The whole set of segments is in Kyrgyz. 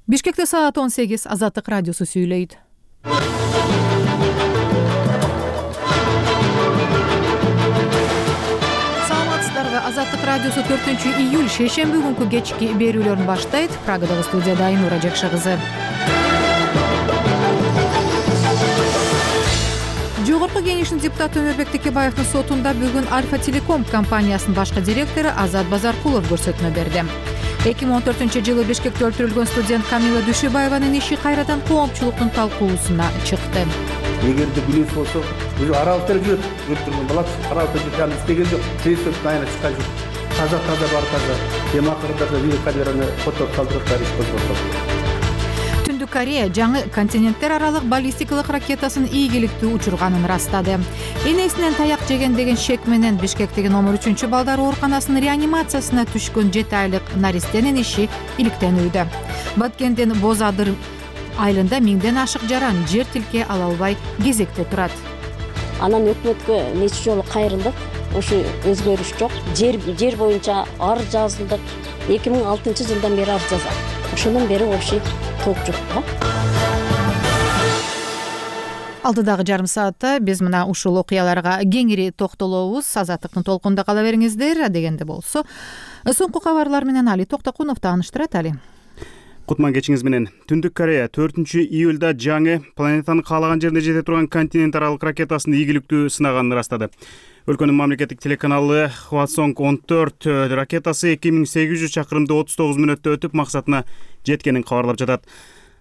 Бишкекте саат 18 Азаттык радиосу сүйлөйт. Саламатсыздарбы? Азаттык радиосу 4-июль шейшемби күнкү кечки берүүлөрүн баштайт. Прагадагы студияда Айнура Жакшы кызы. Жогорку кеңештин депутаты Өмүрбек Текебаевдин сотунда бүгүн Альфа Телеком компаниясынын башкы директору Азат Базаркулов көрсөтмө берди. 2014-жылы Бишкекте өлтүрүлгөн студент Камила Дүйшөбаеванын иши кайрадан коомчулуктун талкуусуна чыкты. Эгерде билүүс болсо, уже аралыкта жүрөт, өлтүргөн балат, аралыкта жүрөт, истеген жок, президент айына чыккан жок. Таза бар таза. Эми акырында видеокамераны фото калтырып иш козготот. Түндүк Корея жаңы континенттер аралык баллистикалык ракетасын ийгиликтүү учурганын ырастады. Энесинен таяк жеген деген шек менен Бишкектеги номер 3 балдар ооруканасынын реанимациясына түшкөн 7 айлык наристенин иши иликтенүүдө. Баткендин Боз Адыр айылында 1000ден ашык жаран жер тилке ала албай кезекте турат. Анан өкмөткө нече жолу кайрылдык. Ошо өзгөрүш жок. Жер боюнча арыз жазылдык. 2006-жылдан бери арыз жазат. Ошондон бери вообще толк жок. Алдыдагы жарым саатта биз мына ушул окуяларга кеңири токтолобуз. Азаттыктын толкунда кала бериңиздер. Дегенде болсо, соңку кабарлар менен Али Токтокунов тааныштырат. Али. Кутман кечиңиз менен. Түндүк Корея 4-июлда жаңы планетанын каалаган жерине жете турган континент аралык ракетасын ийгиликтүү сынаганын ырастады. Өлкөнүн мамлекеттик телеканалы Hwasong 14 ракетасы 2800 чакырымды 39 мүнөттө өтүп максатына жеткенин кабарлап жатат.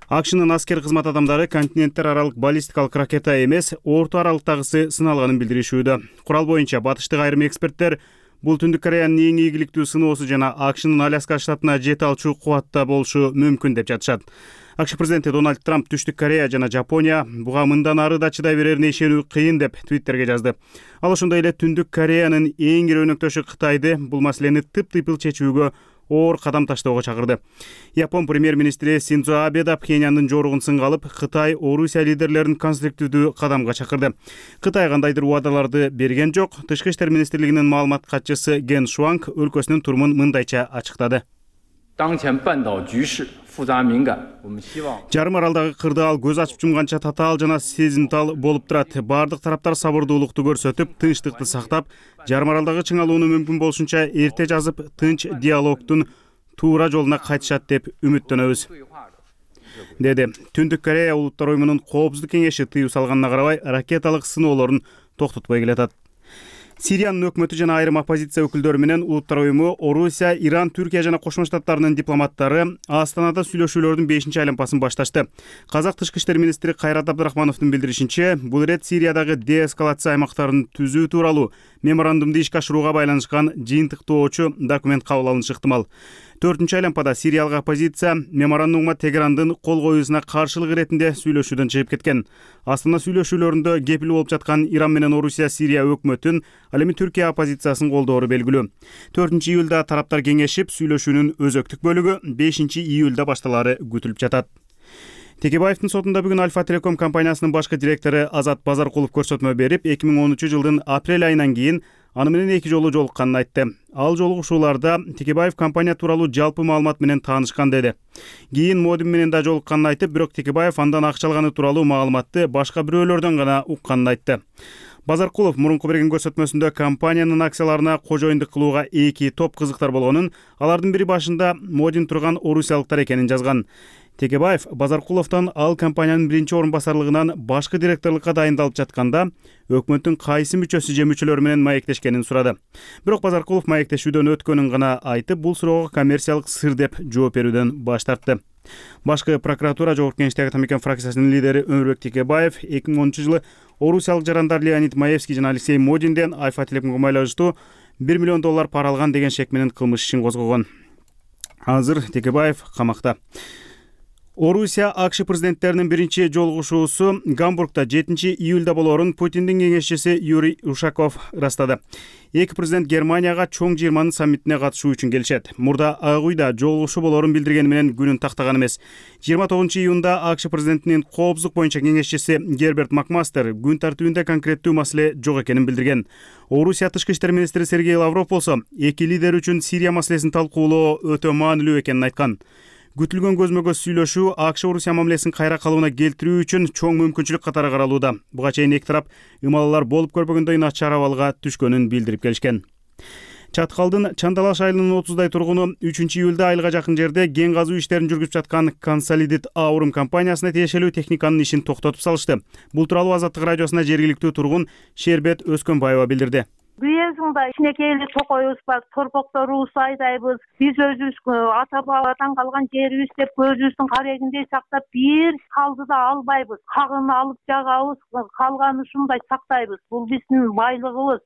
АКШнын аскер кызмат адамдары континенттер аралык баллистикалык ракета эмес, орто аралыктагысы сыналганын билдиришүүдө. Курал боюнча батыштык айрым эксперттер бул Түндүк Кореянын эң ийгиликтүү сыноосу жана АКШнын Аляска штатына жете алчу кубатта болушу мүмкүн деп жатышат. АКШ президенти Дональд Трамп Түштүк Корея жана Жапония буга мындан ары да чыдай берерине ишенүү кыйын деп Твиттерге жазды. Ал ошондой эле Түндүк Кореянын эң ири өнөктөшү Кытайды бул маселени тып-тыйпыл чечүүгө оор кадам таштоого чакырды. Япон премьер-министри Синдзо Абе да Пхеньяндын жоругун сынга алып, Кытай, Орусия лидерлерин конструктивдүү кадамга чакырды. Кытай кандайдыр убадаларды берген жок. Тышкы иштер министрлигинин маалымат катчысы Ген Шуанг өлкөсүнүн турумун мындайча ачыктады. Жарым аралдагы кырдаал көз ачып жумганча татаал жана сезимтал болуп турат. Бардык тараптар сабырдуулукту көрсөтүп, тынчтыкты сактап, жарым аралдагы чыңалууну мүмкүн болушунча эрте жазып, тынч диалогтун туура жолуна кайтышат деп үмүттөнөбүз, деди. Түндүк Корея Улуттар уюмунун Коопсуздук кеңеши тыюу салганына карабай ракеталык сыноолорун токтотпой келатат. Сириянын өкмөтү жана айрым оппозиция өкүлдөрү менен Улуттар уюму, Орусия, Иран, Түркия жана Кошмо Штаттарынын дипломаттары Астанада сүйлөшүүлөрдүн 5-айланпасын башташты. Казак тышкы иштер министри Кайрат Абдрахмановдун билдиришинче, бул ирет Сириядагы деэскалация аймактарын түзүү тууралуу меморандумду ишке ашырууга байланышкан жыйынтыктоочу документ кабыл алынышы ыктымал. 4-айланпада сириялык оппозиция меморандумга Тегерандын кол коюусуна каршылык иретинде сүйлөшүүдөн чыгып кеткен. Астана сүйлөшүүлөрүндө кепил болуп жаткан Иран менен Орусия Сирия өкмөтүн, ал эми Түркия оппозициясын колдоору белгилүү. 4-июлда тараптар кеңешип, сүйлөшүүнүн өзөктүк бөлүгү 5-июлда башталары күтүлүп жатат. Текебаевдин сотунда бүгүн Альфа Телеком компаниясынын башкы директору Азат Базаркулов көрсөтмө берип, 2013-жылдын апрель айынан кийин аны менен 2 жолу жолукканын айтты. Ал жолугушууларда Текебаев компания тууралуу жалпы маалымат менен таанышкан деди. Кийин модем менен да жолукканын айтып, бирок Текебаев андан акча алганы тууралуу маалыматты башка бирөөлөрдөн гана укканын айтты. Базаркулов мурунку берген көрсөтмөсүндө компаниянын акцияларына кожоюндук кылууга 2 топ кызыктар болгонун, алардын бири башында модин турган орусиялыктар экенин жазган. Текебаев Базаркуловдон ал компаниянын биринчи орун басарлыгынан башкы директорлукка дайындалып жатканда өкмөттүн кайсы мүчөсү же мүчөлөрү менен маектешкенин сурады. Бирок Базаркулов маектешүүдөн өткөнүн гана айтып, бул суроого коммерциялык сыр деп жооп берүүдөн баш тартты. Башкы прокуратура Жогорку Кеңештеги Атамекен фракциясынын лидери Өмүрбек Текебаев 2010-жылы орусиялык жарандар Леонид Маевский жана Алексей Модинден Альфа Телекомго байланыштуу $1 миллион пара алган деген шек менен кылмыш ишин козгогон. Азыр Текебаев камакта. Орусия АКШ президенттеринин биринчи жолугушуусу Гамбургда 7-июлда болоорун Путиндин кеңешчиси Юрий Ушаков ырастады. Эки президент Германияга чоң 20 саммитине катышуу үчүн келишет. Мурда Ак Үйдө жолугушуу болоорун билдиргени менен күнүн тактаган эмес. 29-июнда АКШ президентинин коопсуздук боюнча кеңешчиси Герберт Макмастер күн тартибинде конкреттүү маселе жок экенин билдирген. Орусия тышкы иштер министри Сергей Лавров болсо, эки лидер үчүн Сирия маселесин талкуулоо өтө маанилүү экенин айткан. күтүлгөн көзмө көз сүйлөшүү АКШ Орусия мамилесин кайра калыбына келтирүү үчүн чоң мүмкүнчүлүк катары каралууда. Буга чейин эки тарап ымалалар болуп көрбөгөндөй начар абалга түшкөнүн билдирип келишкен. Чаткалдын Чандалаш айылынын 30дай тургуну 3-июлда айылга жакын жерде кен казуу иштерин жүргүзүп жаткан Consolidated Aurum компаниясына тиешелүү техниканын ишин токтотуп салышты. Бул тууралуу Азаттык радиосуна жергиликтүү тургун Шербет Өскөнбаева билдирди. Биязыңда кичинекей эле токойубуз бар, торпокторубузду айдайбыз. Биз өзүбүз ата бабадан калган жерибиз деп көзүбүздүн карегиндей сактап бир калды да албайбыз. Кагын алып жагабыз, калганын ушундай сактайбыз. Бул биздин байлыгыбыз,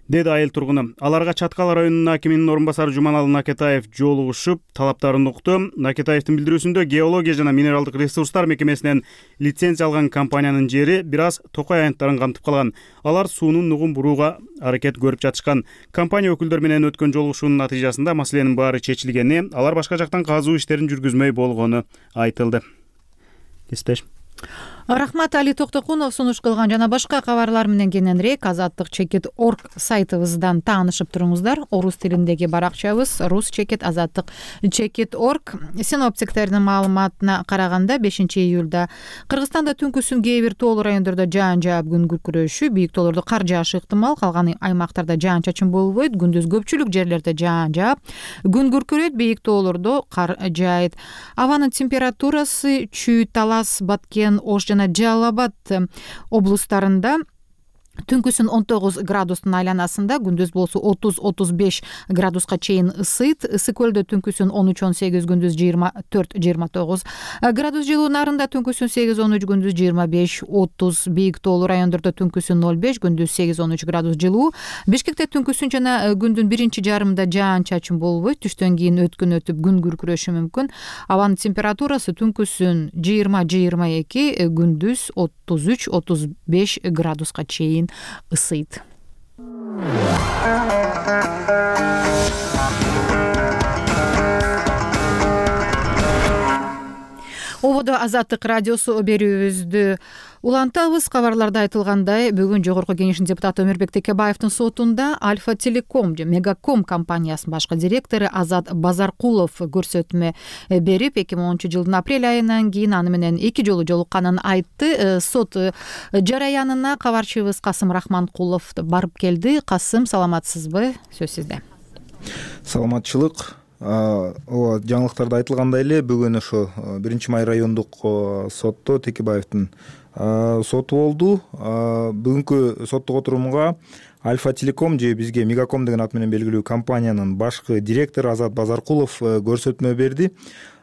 деди айыл тургуну. Аларга Чаткал районунун акиминин орун басары Жуманалы Накетаев жолугушуп, талаптарын укту. Накетаевдин билдирүүсүндө геология жана минералдык ресурстар мекемесинен лицензия алган компаниянын жери бир аз токой аянттарын камтып калган. Алар суунун нугун бурууга аракет көрүп жатышкан. Компания өкүлдөр менен өткөн жолугушуунун натыйжасында маселенин баары чечилгени, алар башка жактан казуу иштерин жүргүзмөй болгону айтылды. Кесиптеш. Рахмат, Али Токтокунов сунуш кылган жана башка кабарлар менен кененирээк Азаттык чекит орг сайтыбыздан таанышып туруңуздар. Орус тилиндеги баракчабыз Рус чекит Азаттык чекит орг. Синоптиктердин маалыматына караганда 5-июлда Кыргызстанда түнкүсүн кээ бир тоолуу райондордо жаан жаап күн күркүрөшү, бийик тоолордо кар жаашы ыктымал, калган аймактарда жаан чачын болбойт. Күндүз көпчүлүк жерлерде жаан жаап, күн күркүрөйт, бийик тоолордо кар жаайт. Абанын температурасы Чүй, Талас, Баткен, Ош жана Жалал Абад облустарында түнкүсүн 19 градустун айланасында, күндүз болсо 30-35 градуска чейин ысыйт. Ысык көлдө түнкүсүн 13-18, күндүз 24-29 градус жылуу. Нарында түнкүсүн 8-13, күндүз 25-30. Бийик тоолуу райондордо түнкүсүн 0-5, күндүз 8-13 градус жылуу. Бишкекте түнкүсүн жана күндүн биринчи жарымында жаан чачын болбойт. Түштөн кийин өткөн өтүп күн күркүрөшү мүмкүн. Абанын температурасы түнкүсүн 20-22, күндүз 33-35 градуска чейин ысыйт. Ободо Азаттык радиосу берүүбүздү улантабыз. Кабарларда айтылгандай, бүгүн Жогорку Кеңештин депутаты Өмүрбек Текебаевдин сотунда Альфа Телеком же Мегаком компаниясынын башкы директору Азат Базаркулов көрсөтмө берип, 2010 жылдын апрель айынан кийин аны менен 2 жолу жолукканын айтты. Сот жараянына кабарчыбыз Касым Рахманкулов барып келди. Касым, саламатсызбы? Сөз сизде. Саламатчылык. Ооба, жаңылыктарда айтылгандай эле бүгүн ошо 1-Май райондук сотто Текебаевдин соту болду. Бүгүнкү соттук отурумга Альфа Телеком же бизге Мегаком деген ат менен белгилүү компаниянын башкы директору Азат Базаркулов көрсөтмө берди.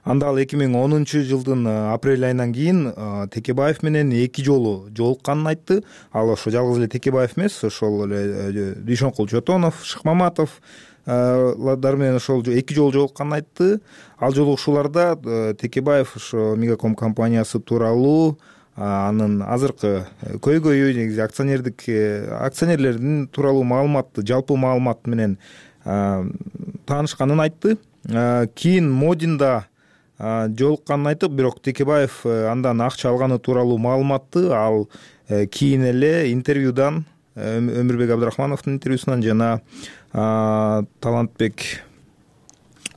Анда ал 2010 жылдын апрель айынан кийин Текебаев менен 2 жолу жолукканын айтты. Ал ошо жалгыз эле Текебаев эмес, ошол эле Дүйшөнкул Чотонов, Шыкмаматов дар менен ошол 2 жолу жолукканын айтты. Ал жолугушууларда Текебаев ошо Мегаком компаниясы тууралуу, анын азыркы көйгөйү, негизи акционерлердин тууралуу маалыматты, жалпы маалымат менен таанышканын айтты. Кийин Модинда жолукканын айтып, бирок Текебаев андан акча алганы тууралуу маалыматты ал кийин эле интервьюдан, Өмүрбек Абдрахмановдун интервьюсунан жана Талантбек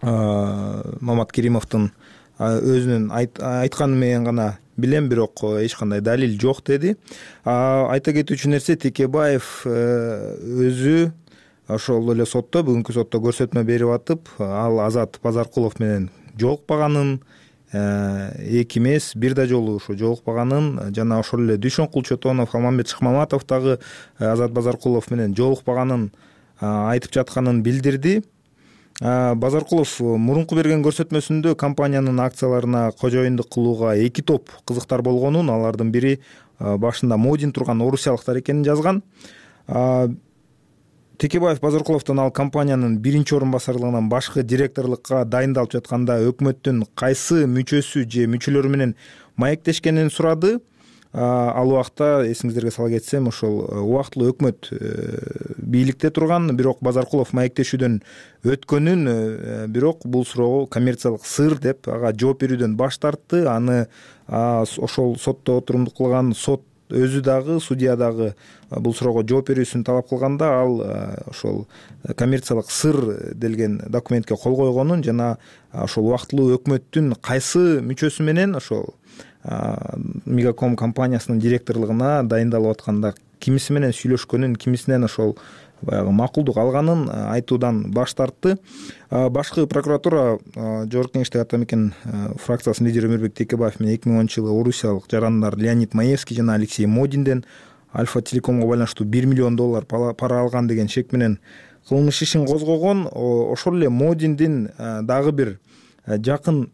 Маматкеримовдун өзүнүн айтканы менен гана билем, бирок эч кандай далил жок деди. Айта кетүүчү нерсе, Текебаев өзү ошол эле сотто, бүгүнкү сотто көрсөтмө берип атып, ал Азат Базаркулов менен жолукпаганын, 2 эмес, 1 да жолу ошо жолукпаганын, жана ошол эле Дүйшөнкул Чотонов, Алмамбет Шыкмаматов дагы Азат Базаркулов менен жолукпаганын айтып жатканын билдирди. Базаркулов мурунку берген көрсөтмөсүндө компаниянын акцияларына кожоюндук кылууга 2 топ кызыктар болгонун, алардын бири башында Модин турган орусиялыктар экенин жазган. Текебаев Базаркуловдон ал компаниянын 1-орун басарлыгынан башкы директорлукка дайындалып жатканда өкмөттүн кайсы мүчөсү же мүчөлөрү менен маектешкенин сурады. Ал убакта эсиңиздерге сала кетсем, ошол убактылуу өкмөт бийликте турган, бирок Базаркулов маектешүүдөн өткөнүн, бирок бул суроого коммерциялык сыр деп ага жооп берүүдөн баш тартты. Аны ошол сотто отурумдук кылган сот өзү дагы судья дагы бул суроого жооп берүүсүн талап кылганда ал ошол коммерциялык сыр делген документке кол койгонун жана ошол убактылуу өкмөттүн кайсы мүчөсү менен ошол Мегаком компаниясынын директорлугуна дайындалып атканда кимиси менен сүйлөшкөнүн, кимисинен ошол баягы макулдук алганын айтуудан баш тартты. Башкы прокуратура Жогорку Кеңештеги Атамекен фракциясынын лидери Өмүрбек Текебаев менен 2010-жылы орусиялык жарандар Леонид Маевский жана Алексей Модинден Альфа Телекомго байланыштуу $1 миллион пара алган деген шек менен кылмыш ишин козгогон. Ошол эле Модиндин дагы бир жакын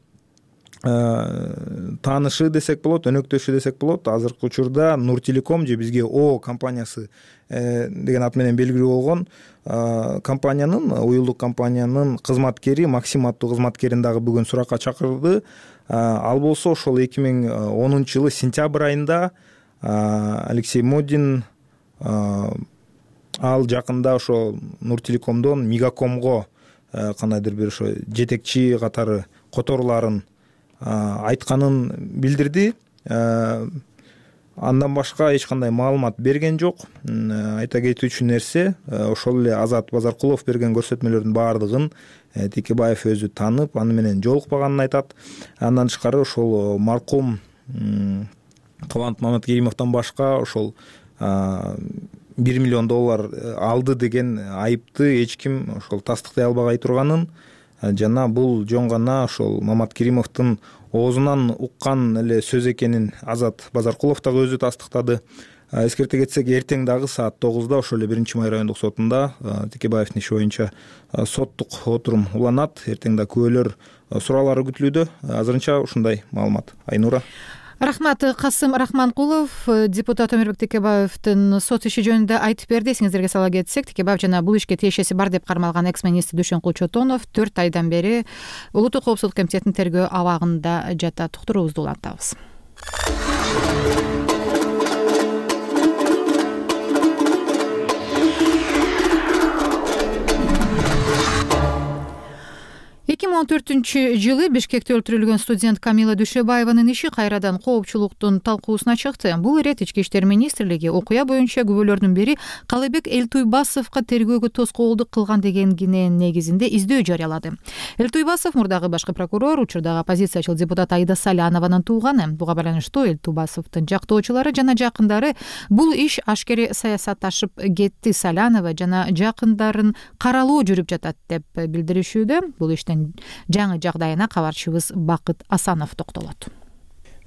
таанышы десек болот, өнөктөшү десек болот. Азыркы учурда Нур Телеком же бизге О компаниясы деген ат менен белгилүү болгон компаниянын, уюлдук компаниянын кызматкери, Максим аттуу кызматкерин дагы бүгүн суракка чакырды. Ал болсо ошол 2010-жылы сентябрь айында Алексей Модин ал жакында ошо Нур Телекомдон Мегакомго кандайдыр бир ошо жетекчи катары которууларын айтканын билдирди. Андан башка эч кандай маалымат берген жок. Айта кетүүчү нерсе, ошол эле Азат Базаркулов берген көрсөтмөлөрдүн баардыгын Текебаев өзү танып, аны менен жолукпаганын айтат. Андан тышкары ошол маркум Кубанат Маматкеримовдон башка ошол $1 миллион алды деген айыпты эч ким ошол тастыктай албагай турганын жана бул жөн гана ошол Маматкеримовдун оозунан уккан эле сөз экенин Азат Базаркулов дагы өзү тастыктады. Эскерте кетсек, эртең дагы саат 9-да ошол эле 1-Май райондук сотунда Текебаевдин иши боюнча соттук отурум уланат. Эртең да күбөлөр суроолору күтүлүүдө. Азырынча ушундай маалымат. Айнура. Рахмат. Касым Рахманкулов депутат Өмүрбек Текебаевдин сот иши жөнүндө айтып берди. Эсиңиздерге сала кетсек, Текебаев жана бул ишке тиешеси бар деп кармалган экс-министр Дүйшөнкул Чотонов 4 айдан бери Улуттук коопсуздук комитетинин тергөө абагында жатат. Уктуруубузду улантабыз. 2014-жылы Бишкекте өлтүрүлгөн студент Камила Дүйшөбаеванын иши кайрадан коопчулуктун талкуусуна чыкты. Бул ирет Ички иштер министрлиги окуя боюнча күбөлөрдүн бири Калыбек Элтуйбасовго тергөөгө тоскоолдук кылган деген киненин негизинде издөө жарыялады. Элтуйбасов мурдагы башкы прокурор, учурдагы оппозициячыл депутат Аида Салянованын тууганы. Буга байланыштуу Элтуйбасовдун жактоочулары жана жакындары бул иш ашкере саясатташып кетти, Салянова жана жакындарын каралоо жүрүп жатат деп билдиришүүдө. Бул иштен жаңы жагдайына кабарчыбыз Бакыт Асанов токтолот.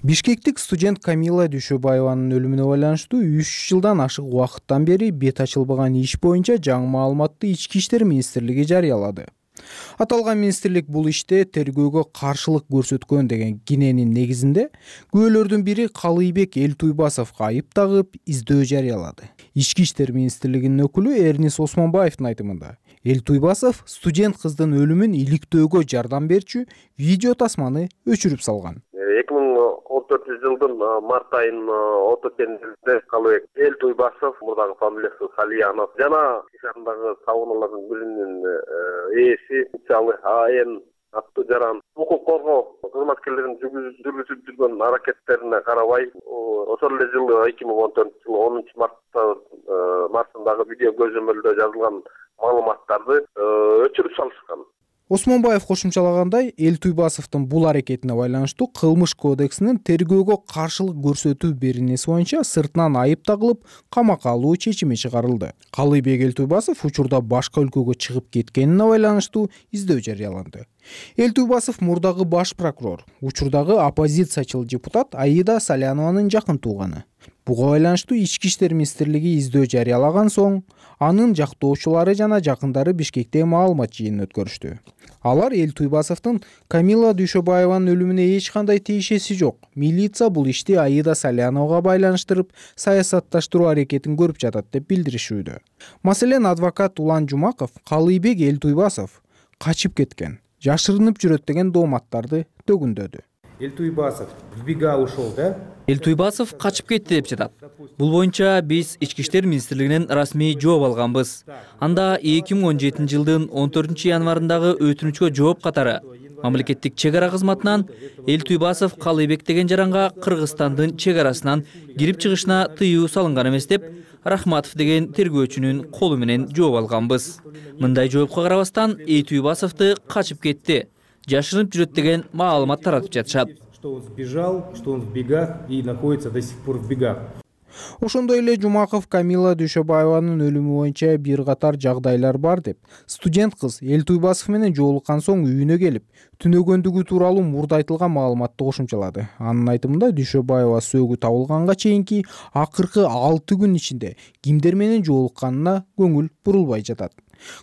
Бишкектик студент Камила Дүйшөбаеванын өлүмүнө байланыштуу 3 жылдан ашык убакыттан бери бет ачылбаган иш боюнча жаңы маалыматты Ички иштер министрлиги жарыялады. Аталган министрлик бул иште тергөөгө каршылык көрсөткөн деген киненин негизинде күбөлөрдүн бири Калыбек Элтуйбасовго айып тагып издөө жарыялады. Ички иштер министрлигинин өкүлү Эрнис Осмонбаевдин айтымында Элтуйбасов студент кыздын өлүмүн иликтөөгө жардам берчү видео тасманы өчүрүп салган. 2014-жылдын март айынын отокенинде Калыбек Элтуйбасов, мурдагы фамилиясы Салянов жана ишандагы табуунулардын биринин ээси инициалы АН аттуу жаран укук коргоо кызматкерлеринин жүргүзүп жүргөн аракеттерине карабай ошол эле жылы 2014-жылы 10 мартындагы видео көзөмөлдө жазылган маалыматтарды өчүрүп салышкан. Осмонбаев кошумчалагандай, Элтуйбасовдун бул аракетине байланыштуу Кылмыш кодексинин тергөөгө каршылык көрсөтүү беренеси боюнча сыртынан айып тагылып, камакка алуу чечими чыгарылды. Калыбек Элтуйбасов учурда башка өлкөгө чыгып кеткенине байланыштуу издөө жарыяланды. Элтуйбасов мурдагы баш прокурор, учурдагы оппозициячыл депутат Аида Салянованын жакын тууганы. Буга байланыштуу Ички иштер министрлиги издөө жарыялаган соң, анын жактоочулары жана жакындары Бишкекте маалымат жыйынын өткөрүштү. Алар Элтуйбасовдун Камила Дүйшөбаеванын өлүмүнө эч кандай тиешеси жок. Милиция бул ишти Аида Саляновага байланыштырып, саясатташтыруу аракетин көрүп жатат деп билдиришүүдө. Маселен, адвокат Улан Жумаков Калыбек Элтуйбасов качып кеткен, жашырынып жүрөт деген дооматтарды төгүндөдү. Элтуйбасов в бега ушел, да? Элтуйбасов качып кетти деп жатат. Бул боюнча биз Ички иштер министрлигинен расмий жооп алганбыз. Анда 2017 жылдын 14 январындагы өтүнүчкө жооп катары Мамлекеттик чек ара кызматынан Элтуйбасов Калыйбек деген жаранга Кыргызстандын чек арасынан кирип чыгышына тыюу салынган эмес деп Рахматов деген тергөөчүнүн колу менен жооп алганбыз. Мындай жоопко карабастан Элтуйбасовду качып кетти, жашырынып жүрөт деген маалымат таратып жатышат. Что он сбежал, что он в бегах и находится до сих пор в бегах. Ошондой эле Жумаков Камила Дүйшөбаеванын өлүмү боюнча бир катар жагдайлар бар деп, студент кыз Элтуйбасов менен жолуккан соң үйүнө келип, түнөгөндүгү тууралуу мурда айтылган маалыматты кошумчалады. Анын айтымында Дүйшөбаева сөөгү табылганга чейинки акыркы 6 күн ичинде кимдер менен жолукканына көңүл бурулбай жатат.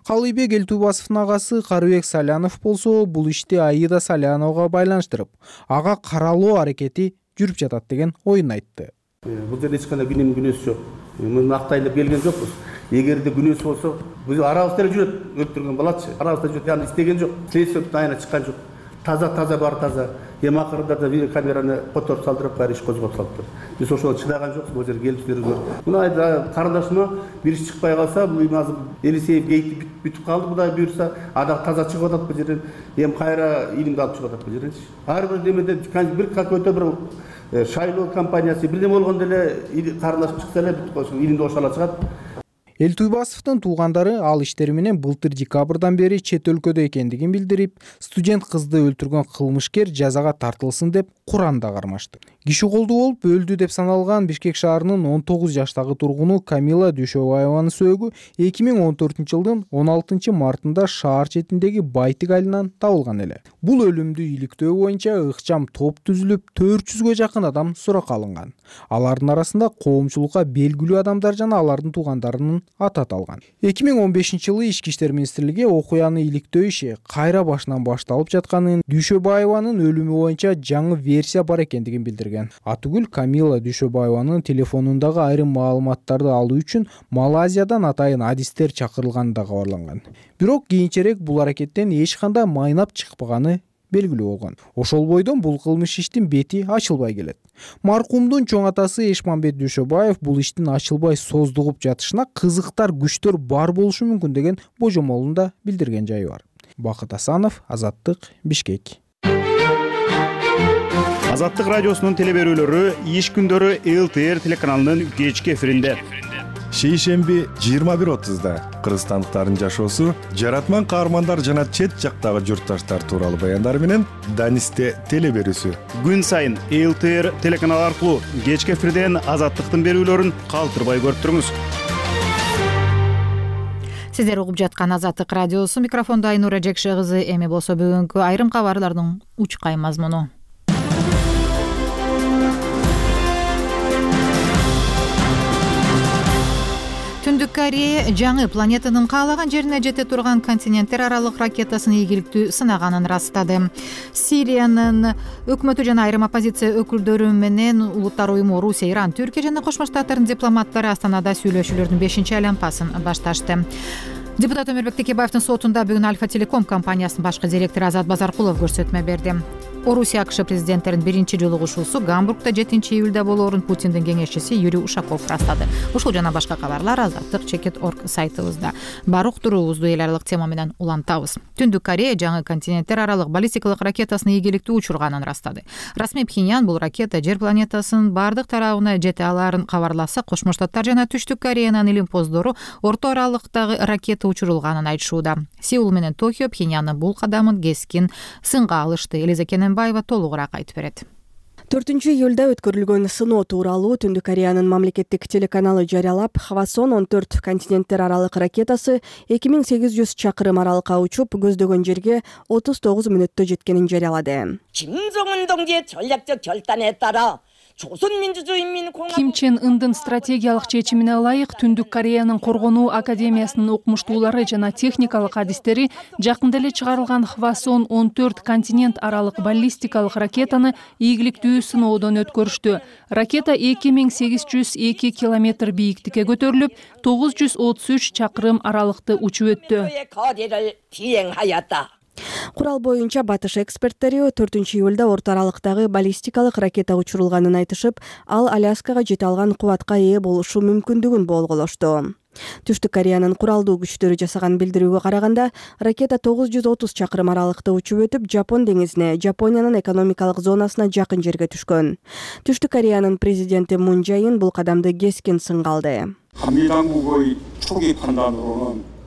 Калыйбек Элтуйбасовдун агасы Карыбек Салянов болсо, бул ишти Аида Саляновага байланыштырып, ага каралоо аракети жүрүп жатат деген оюн айтты. Бул жерде эч кандай күнөм күнөөсү жок. Муну актайын деп келген жокпуз. Эгерде күнөөсү болсо, биз арабызда жүрөт, өлтүргөн балачы. Арабызда жүрөт, яны истеген жок. Следствиятын айына чыккан жок. Таза бары таза. Эми акырында да видеокамераны которуп салдырып, баары иш козгоп салыптыр. Биз ошого чыдаган жокпуз, бул жерге келип силерге. Мына карындашыма бир иш чыкпай калса, бул азыр Элисеев гейти бүтүп калды, Кудай буйрса, ада таза чыгып атат бул жерден. Эми кайра илимди алып чыгып атат бул жерден. Ар бир демеде бир какой-то бир шайлоо компаниясы бирдеме болгондо эле карындашып чыкса эле илимди ошала чыгат. Элтуйбасовдун туугандары ал иштери менен былтыр декабрдан бери чет өлкөдө экендигин билдирип, студент кызды өлтүргөн кылмышкер жазага тартылсын деп Куранда кармашты. Киши колдуу болуп өлдү деп саналган Бишкек шаарынын 19 жаштагы тургуну Камила Дүйшөбаеванын сөөгү 2014-жылдын 16 мартында шаар четиндеги Байтик айылынан табылган эле. Бул өлүмдү иликтөө боюнча ыкчам топ түзүлүп, 400гө жакын адам суракка алынган. Алардын арасында коомчулукка белгилүү адамдар жана алардын туугандарынын аты аталган. 2015-жылы Ички иштер министрлиги окуяны иликтөө иши кайра башынан башталып жатканын, Дүйшөбаеванын өлүмү боюнча жаңы версия бар экендигин билдирген. Атүгүл Камила Дүйшөбаеванын телефонундагы айрым маалыматтарды алуу үчүн Малайзиядан атайын адистер чакырылганы да кабарланган. Бирок кийинчерээк бул аракеттен эч кандай майнап чыкпаганы белгилүү болгон. Ошол бойдон бул кылмыш иштин бети ачылбай келет. Маркумдун чоң атасы Эшманбет Дүйшөбаев бул иштин ачылбай создугуп жатышына кызыктар күчтөр бар болушу мүмкүн деген божомолун да билдирген жайы бар. Бакыт Асанов, Азаттык, Бишкек. Азаттык радиосунун телеберүүлөрү иш күндөрү ЛТР телеканалынын кечки эфиринде. Шейшемби 21:30 кыргызстандыктардын жашоосу, жаратман каармандар жана чет жактагы журтташтар тууралуу баяндар менен Данисте телеберүүсү. Күн сайын ЛТР телеканалы аркылуу кечки эфирден Азаттыктын берүүлөрүн калтырбай көрүп туруңуз. Сиздер угуп жаткан Азаттык радиосу, микрофондо Айнура Жекше кызы. Эми болсо бүгүнкү айрым кабарлардын учкай мазмуну. Түндүк Корея жаңы планетанын каалаган жерине жете турган континенттер аралык ракетасын ийгиликтүү сынаганын растады. Сириянын өкмөтү жана айрым оппозиция өкүлдөрү менен улуттар уюму Орусия, Иран, Түркия жана Кошмо Штаттардын дипломаттары Астанада сүйлөшүүлөрдүн 5-айланпасын башташты. Депутат Өмүрбек Текебаевдин сотунда бүгүн Альфа Телеком компаниясынын башкы директору Азат Базаркулов көрсөтмө берди. Орусия АКШ президенттеринин биринчи жолугушуусу Гамбургда 7-июлда болоорун Путиндин кеңешчиси Юрий Ушаков растады. Ушул жана башка кабарлар Азаттык.org сайтыбызда. Бар уктуруубузду эл аралык тема менен улантабыз. Түндүк Корея жаңы континенттер аралык баллистикалык ракетасын ийгиликтүү учурганын растады. Расмий Пхеньян бул ракета жер планетасынын бардык тарабына жете аларын кабарласа, Кошмо Штаттар жана Түштүк Кореянын илимпоздору орто аралыктагы ракета учурулганын айтышууда. Сеул менен Токио Пхеньяндын бул кадамын кескин сынга алышты. Элиза Кененбаева толугураак айтып берет. 4-июлда өткөрүлгөн сыноо тууралуу Түндүк Кореянын мамлекеттик телеканалы жарыялап, Хвасон 14 континенттер аралык ракетасы 2800 чакырым аралыкка учуп, көздөгөн жерге 39 мүнөттө жеткенин жарыялады. 김정은 동지의 전략적 결단에 따라 Ким Чен Ындын стратегиялык чечимине ылайык Түндүк Кореянын коргонуу академиясынын окумуштуулары жана техникалык адистери жакында эле чыгарылган Хвасон 14 континент аралык баллистикалык ракетаны ийгиликтүү сыноодон өткөрүштү. Ракета 2802 километр бийиктикке көтөрүлүп, 933 чакырым аралыкты учуп өттү. Курал боюнча батыш эксперттери 4-июлда орто аралыктагы баллистикалык ракета учурулганын айтышып, ал Аляскага жете алган кубатка ээ болушу мүмкүндүгүн болголошту. Түштүк Кореянын куралдуу күчтөрү жасаган билдирүүгө караганда, ракета 930 чакырым аралыкта учуп өтүп, Жапон деңизине, Жапониянын экономикалык зонасына жакын жерге түшкөн. Түштүк Кореянын президенти Мун Чже Ин бул кадамды кескин сынга алды.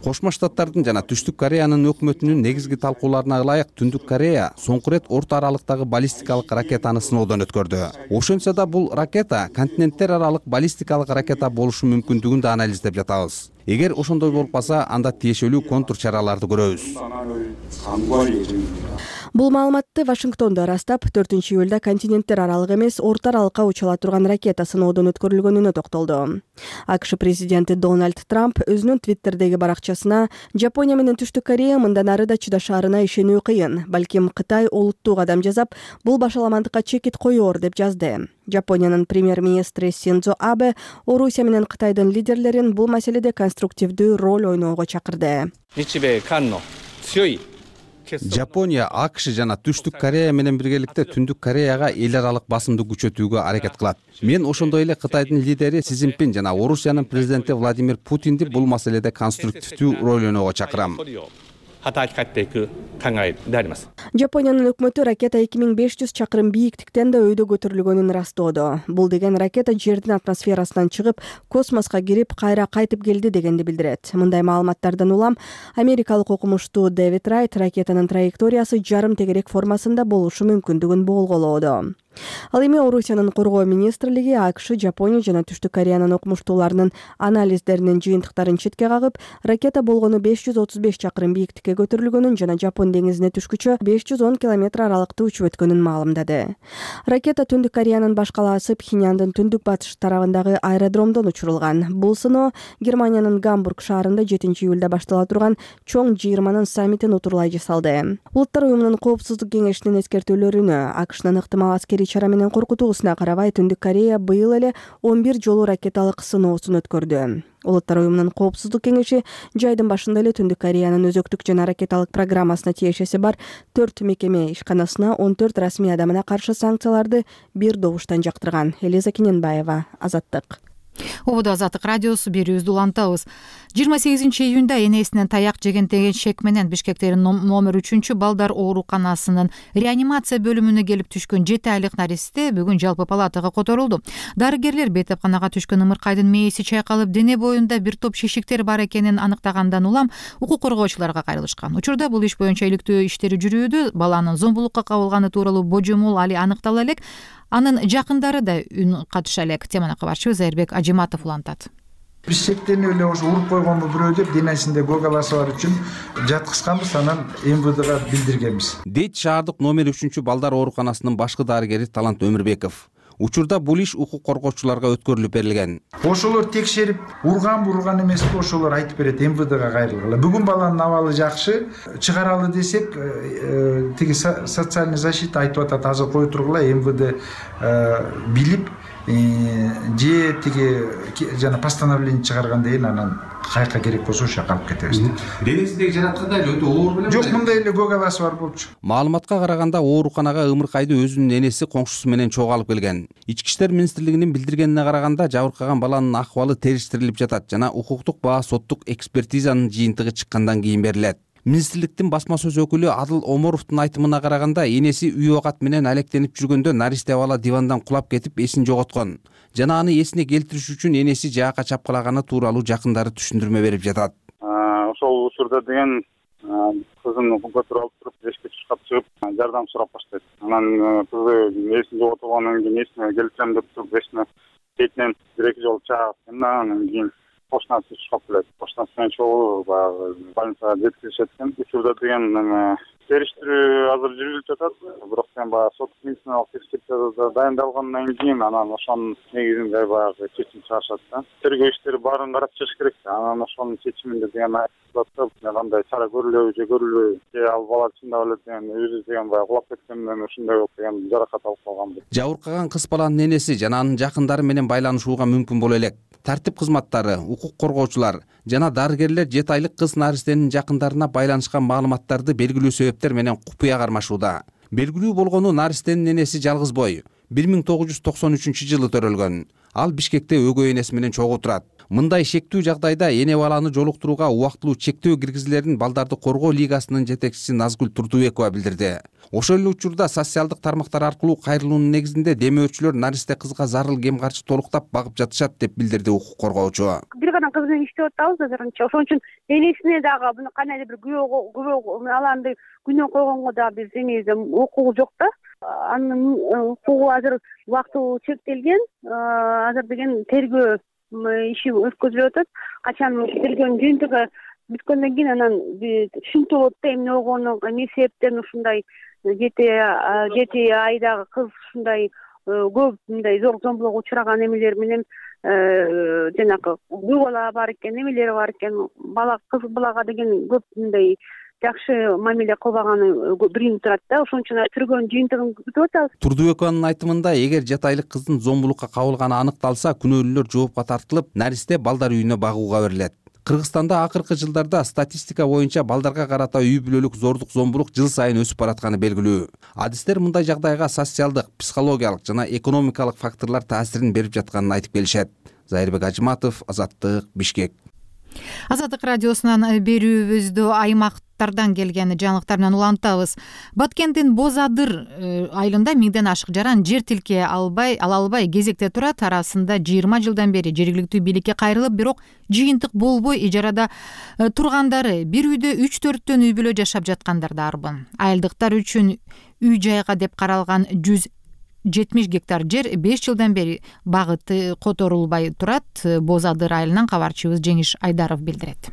Кошмо Штаттардын жана Түштүк Кореянын өкмөтүнүн негизги талкууларына ылайык Түндүк Корея соңку ирет орто аралыктагы баллистикалык ракетаны сыноодон өткөрдү. Ошентсе да бул ракета континенттер аралык баллистикалык ракета болушу мүмкүндүгүн да анализдеп жатабыз. Эгер ошондой болуп калса, анда тиешелүү контур чараларды көрөбүз. Бул маалыматты Вашингтондо ырастап, 4-июлда континенттер аралык эмес, орто аралыкка учула турган ракета сыноодон өткөрүлгөнүнө токтолду. АКШ президенти Дональд Трамп өзүнүн Твиттердеги баракчасына Жапония менен Түштүк Корея мындан ары да чыдашаарына ишенүү кыйын, балким Кытай олуттуу кадам жасап, бул башаламандыкка чекит коёр деп жазды. Жапониянын премьер-министри Синдзо Абе Орусия менен Кытайдын лидерлерин бул маселеде конструктивдүү роль ойноого чакырды. Жапония, АКШ жана Түштүк Корея менен биргеликте Түндүк Кореяга эл аралык басымды күчөтүүгө аракет кылат. Мен ошондой эле Кытайдын лидери Си Цзиньпин жана Орусиянын президенти Владимир Путинди бул маселеде конструктивдүү роль ойноого чакырам. Жапониянын өкмөтү ракета 2500 чакырым бийиктиктен да өйдө көтөрүлгөнүн ырастоодо. Бул деген ракета жердин атмосферасынан чыгып, космоско кирип, кайра кайтып келди дегенди билдирет. Мындай маалыматтардан улам америкалык окумуштуу Дэвид Райт ракетанын траекториясы жарым тегерек формасында болушу мүмкүндүгүн болголоодо. Ал эми Орусиянын коргоо министрлиги АКШ, Жапония жана Түштүк Кореянын окумуштууларынын анализдеринин жыйынтыктарын четке кагып, ракета болгону 535 чакырым бийиктикке көтөрүлгөнүн жана Жапон деңизине түшкүчө 510 километр аралыкта учуп өткөнүн маалымдады. Ракета Түндүк Кореянын баш калаасы Пхеньяндын түндүк батыш тарабындагы аэродромдон учурулган. Бул сыноо Германиянын Гамбург шаарында 7-июлда баштала турган чоң 20-нын саммитин утурлай жасалды. Улуттар уюмунун коопсуздук кеңешинин эскертүүлөрүнө, АКШнын ыктымал аскерий чара менен коркутуусуна карабай, Түндүк Корея быйыл эле 11 жолу ракеталык сыноосун өткөрдү. Улуттар уюмунун коопсуздук кеңеши жайдын башында эле Түндүк Кореянын өзөктүк жана ракеталык программасына тиешеси бар 4 мекеме ишканасына 14 расмий адамына каршы санкцияларды бир добуштан жактырган. Элиза Кененбаева, Азаттык. Ободо Азаттык радиосу берүүбүздү улантабыз. 28-июнда энесинен таяк жеген деген шек менен Бишкектеги номер 3 балдар ооруканасынын реанимация бөлүмүнө келип түшкөн 7 айлык наристе бүгүн жалпы палатага которулду. Дарыгерлер бетепканага түшкөн ымыркайдын мээси чайкалып, дене боюнда бир топ шишиктер бар экенин аныктагандан улам укук коргоочуларга кайрылышкан. Учурда бул иш боюнча иликтөө иштери жүрүүдө. Баланын зомбулукка кабылганы тууралуу божомол али аныктала элек. Анын жакындары да үн катыша элек. Теманы кабарчыбыз Айырбек Ажиматов улантат. Бишкектен эле ошо уруп койгонбу бирөө деп денесинде көгаласы бар үчүн жаткызганбыз, анан МВДга билдиргенбиз. Дейт шаардык номер 3 балдар ооруканасынын башкы дарыгери Талант Өмүрбеков. Учурда бул иш укук коргоочуларга өткөрүлүп берилген. Ошолор текшерип, урган эмеспи, ошолор айтып берет, МВДга кайрылгыла. Бүгүн баланын абалы жакшы, чыгаралы десек, тиги социальный защита айтып атат, азыр кое тургула, МВД билип, же тиги жана постановление чыгаргандан кийин анан кайка керек болсо ошо жака алып кетебиз. Денесиндеги жараткандай эле өтө оор белем? Жок, мындай эле көгаласы бар болчу. Маалыматка караганда ооруканага ымыркайды өзүнүн энеси коңшусу менен чогуу алып келген. Ички иштер министрлигинин билдиргенине караганда, жабыркаган баланын акыбалы териштирилип жатат жана укуктук баа соттук экспертизанын жыйынтыгы чыккандан кийин берилет. Министрликтин басма сөз өкүлү Адыл Оморовдун айтымына караганда, энеси үй оокат менен алектенип жүргөндө наристе бала дивандан кулап кетип эсин жоготкон жана аны эсине келтириш үчүн энеси жаакка чапкылаганы тууралуу жакындары түшүндүрмө берип жатат. Ошол учурда деген кызын көтөрүп алып туруп, эшикке чыгып жардам сурап баштайт. Анан кызы эсин жоготуп, кийин эсине келтирем деп туруп, эсине бетинен 1-2 жолу чаап, анан кийин кошунасы чыгып келет. Кошунасы менен чогуу баягы больницага жеткиришет экен. Учурда деген териштирүү азыр жүрүлүп жатат. Бирок сен баягы сот медициналык экспертиза дайындалгандан кийин анан ошонун негизинде баягы чечим чыгышат да. Тергөө иштери баарын карап чыгыш керек. Анан ошонун чечиминде деген айтылат, кандай чара көрүлөбү же көрүлбөйбү. Ал бала чындап эле деген өзү деген баягы кулап кеткенден ушундай болуп деген жаракат алып калган. Жабыркаган кыз баланын энеси жана анын жакындары менен байланышууга мүмкүн боло элек. Тартип кызматтары, укук коргоочулар жана дарыгерлер 7 айлык кыз наристенин жакындарына байланышкан маалыматтарды белгилүү себептер менен купуя кармашууда. Белгилүү болгону, наристенин энеси жалгыз бой. 1993 жылы төрөлгөн. Ал Бишкекте өгөй энеси менен чогуу турат. мындай шектүү жагдайда эне баланы жолуктурууга убактылуу чектөө киргизилерин балдарды коргоо лигасынын жетекчиси Назгүл Турдубекова билдирди. Ошол эле учурда социалдык тармактар аркылуу кайрылуунун негизинде демөөрчүлөр наристе кызга зарыл кем каршы толуктап багып жатышат деп билдирди укук коргоочу. Бир гана кыз менен иштеп атабыз азырынча. Ошон үчүн энесине дагы буну кандайдыр бир күбө аланды күнөө койгонго дагы биз эмебизде укугу жок да. Анын укугу азыр убактылуу чектелген. Азыр деген тергөө иши өткөзүлүп атат. Качан тергөөнүн жыйынтыгы бүткөндөн кийин анан түшүнүктүү болот да эмне болгону, эмне себептен ушундай 7 айдагы кыз ушундай көп мындай зомбулукка учураган эмелер менен жанагы көп бала бар экен, эмелери бар экен. Кыз балага деген көп мындай жакшы мамиле кылбаганы билинип турат да. Ошон үчүн тергөөнүн жыйынтыгын күтүп атабыз. Турдубекованын айтымында, эгер жатайлык кыздын зомбулукка кабылганы аныкталса, күнөөлүүлөр жоопко тартылып, наристе балдар үйүнө багууга берилет. Кыргызстанда акыркы жылдарда статистика боюнча балдарга карата үй бүлөлүк зордук, зомбулук жыл сайын өсүп баратканы белгилүү. Адистер мындай жагдайга социалдык, психологиялык жана экономикалык факторлор таасирин берип жатканын айтып келишет. Зайырбек Ажыматов, Азаттык, Бишкек. Азаттык радиосунан берүүбүздү аймактардан келген жаңылыктар менен улантабыз. Баткендин Боз Адыр айылында 1000ден ашык жаран жер тилке ала албай кезекте турат. Арасында 20 жылдан бери жергиликтүү бийликке кайрылып, бирок жыйынтык болбой ижарада тургандары, бир үйдө 3-4төн үй бүлө жашап жаткандар да арбын. Айылдыктар үчүн үй жайга деп каралган 170 гектар жер 5 жылдан бери багыты которулбай турат. Боз Адыр айылынан кабарчыбыз Жеңиш Айдаров билдирет.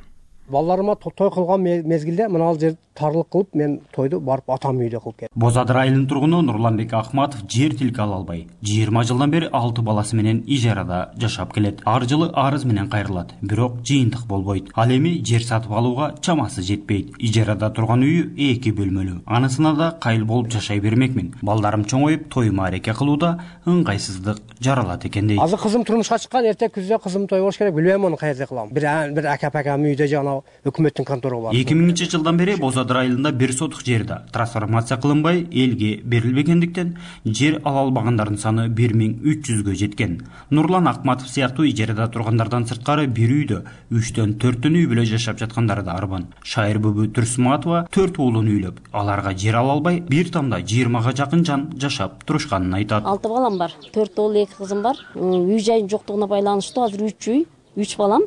Балдарыма той кылган мезгилде мына жер тарлык кылып, мен тойду барып атам үйдө кылып келдим. Боз Адыр айылынын тургуну Нурланбек Ахматов жер тилке ала албай 20 жылдан бери 6 баласы менен ижарада жашап келет. Ар жылы арыз менен кайрылат, бирок жыйынтык болбойт. Ал эми жер сатып алууга чамасы жетпейт. Ижарада турган үйү 2 бөлмөлүү. Анысына да кайыл болуп жашай бермекмин. Балдарым чоңоюп, тоюма ареке кылууда ыңгайсыздык жаралат экен дейт. Азыр кызым турмушка чыккан, эртең күздө кызым той болуш керек, билбейм аны каерде кылам. Бир ака-пакам үйдө жана өкмөттүн контору бар. 2000-жылдан бери Боз Адыр айылында 1 сотук жерде трансформация кылынбай элге берилбегендиктен жер ала албагандардын саны 1300гө жеткен. Нурлан Акматов сыяктуу ижарада тургандардан сырткары бир үйдө 3төн 4төн үй бүлө жашап жаткандары да арбан. Шайыр бүбү Турсуматова 4 уулун үйлөп, аларга жер ала албай, бир тамда 20га жакын жан жашап турушканын айтат. 6 балам бар, 4 уул, 2 кызым бар. Үй жайын жоктугуна байланыштуу азыр 3 үй, 3 балам,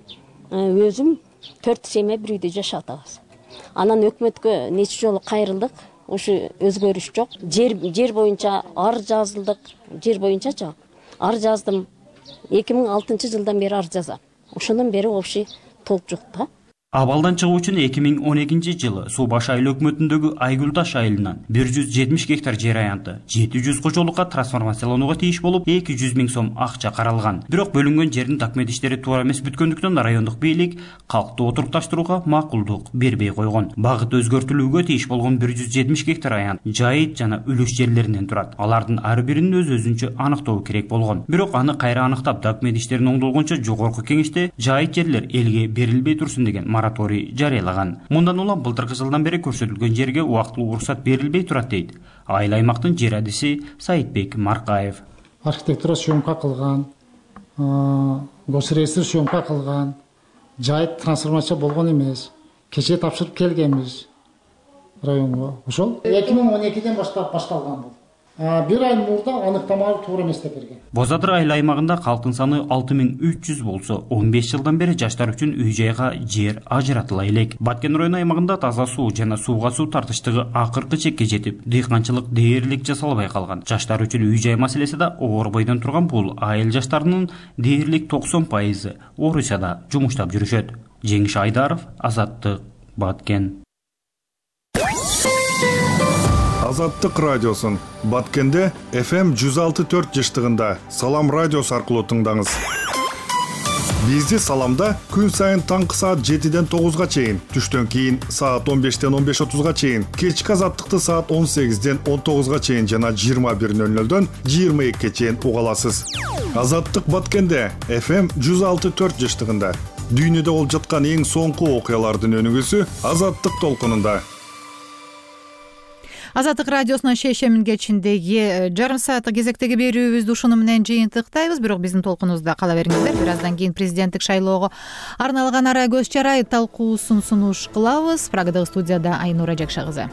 өзүм 4 семья бир үйдө жашап атабыз. Анан өкмөткө нече жолу кайрылдык, ушу өзгөрүш жок. Жер боюнча ар жазылдык, жер боюнчачы ар жаздым. 2006-жылдан бери ар жазам. Ошондон бери вообще толук жок да. Абалдан чыгуу үчүн 2012-жылы Суу Баш айыл өкмөтүндөгү Айгүл Таш айылынан 170 гектар жер аянты 700 кожолукка трансформацияланууга тийиш болуп, 200 000 сом акча каралган. Бирок бөлүнгөн жердин документ иштери туура эмес бүткөндүктөн райондук бийлик калкты отурукташтырууга макулдук бербей койгон. Багыт өзгөртүлүүгө тийиш болгон 170 гектар аянт жайыт жана үлүш жерлеринен турат. Алардын ар биринин өз-өзүнчө аныктоо керек болгон. Бирок аны кайра аныктап, документ иштерин оңдолгончо жогорку кеңеште жайыт жерлер элге берилбей турсун деген мораторий жарыялаган. Мындан улам былтыркы жылдан бери көрсөтүлгөн жерге убактылуу уруксат берилбей турат дейт айыл аймактын жер адиси Саитбек Маркаев. Архитектура съемка кылган, госреестр съемка кылган, жайыт трансформация болгон эмес. Кечээ тапшырып келгенбиз районго. Ошол 2012-ден башталган бул. Бир ай мурда аныктамалар туура эмес деп берген. Боз Адыр айыл аймагында калктын саны 6300 болсо, 15 жылдан бери жаштар үчүн үй жайга жер ажыратыла элек. Баткен району аймагында таза суу жана сууга суу тартыштыгы акыркы чекке жетип, дыйканчылык дээрлик жасалбай калган. Жаштар үчүн үй жай маселеси да оор бойдон турган бул айыл жаштарынын дээрлик 90% Орусияда жумуштап жүрүшөт. Жеңиш Айдаров, Азаттык, Баткен. Азаттык радиосун Баткенде FM 106.4 жыштыгында Салам радиосу аркылуу тыңдаңыз. Бизди Саламда күн сайын таңкы саат 7ден 9га чейин, түштөн кийин саат 15ден 15:30га чейин, кечки Азаттыкты саат 18ден 19га чейин жана 21:00дөн 22ге чейин уга аласыз. Азаттык Баткенде FM 106.4 жыштыгында дүйнөдө болуп жаткан эң соңку окуялардын өнүгүүсү Азаттык толкунунда. Азаттык радиосунун шешемин кечиндеги жарым сааттык кезектеги берүүбүздү ушуну менен жыйынтыктайбыз. Бирок биздин толкунубузда кала бериңиздер. Бир аздан кийин президенттик шайлоого арналган ара көз чарай талкуусун сунуш кылабыз. Прагадагы студияда Айнура Жакша кызы.